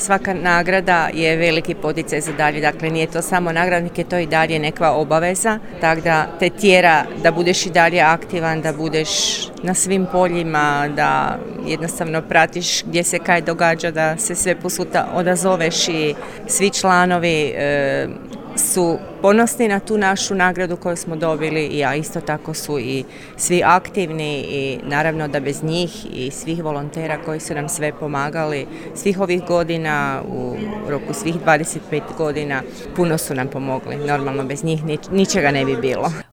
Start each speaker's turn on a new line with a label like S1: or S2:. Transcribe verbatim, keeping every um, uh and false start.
S1: svaka nagrada je veliki poticaj za dalje, dakle nije to samo nagradnik, je to i dalje neka obaveza, tako da te tjera da budeš i dalje aktivan, da budeš na svim poljima, da jednostavno pratiš gdje se kaj događa, da se sve puta odazoveš i svi članovi e, su ponosni na tu našu nagradu koju smo dobili, a isto tako su i svi aktivni i naravno da bez njih i svih volontera koji su nam sve pomagali svih ovih godina, u roku svih dvadeset pet godina, puno su nam pomogli. Normalno bez njih nič, ničega ne bi bilo.